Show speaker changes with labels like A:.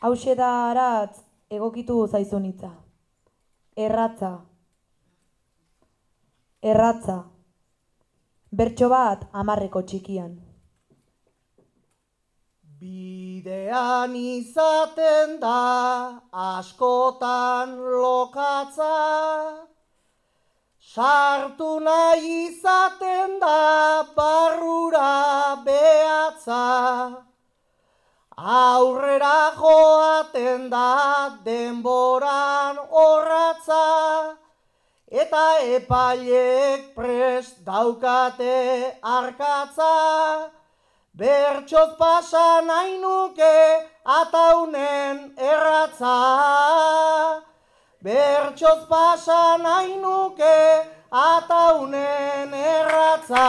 A: Hauxe da aratz egokitu zaizun hitza. Erratza. Erratza. Bertso bat 10 txikian.
B: Bidean izaten da askotan lokatza, sartu nahi izaten da barrura behatza, aurrera joaten da denboran orratza, eta epailek prest daukate arkatza, bertsoz pasa nahi nuke ataunen erratza. Bertsoz pasa nahi nuke ataunen erratza.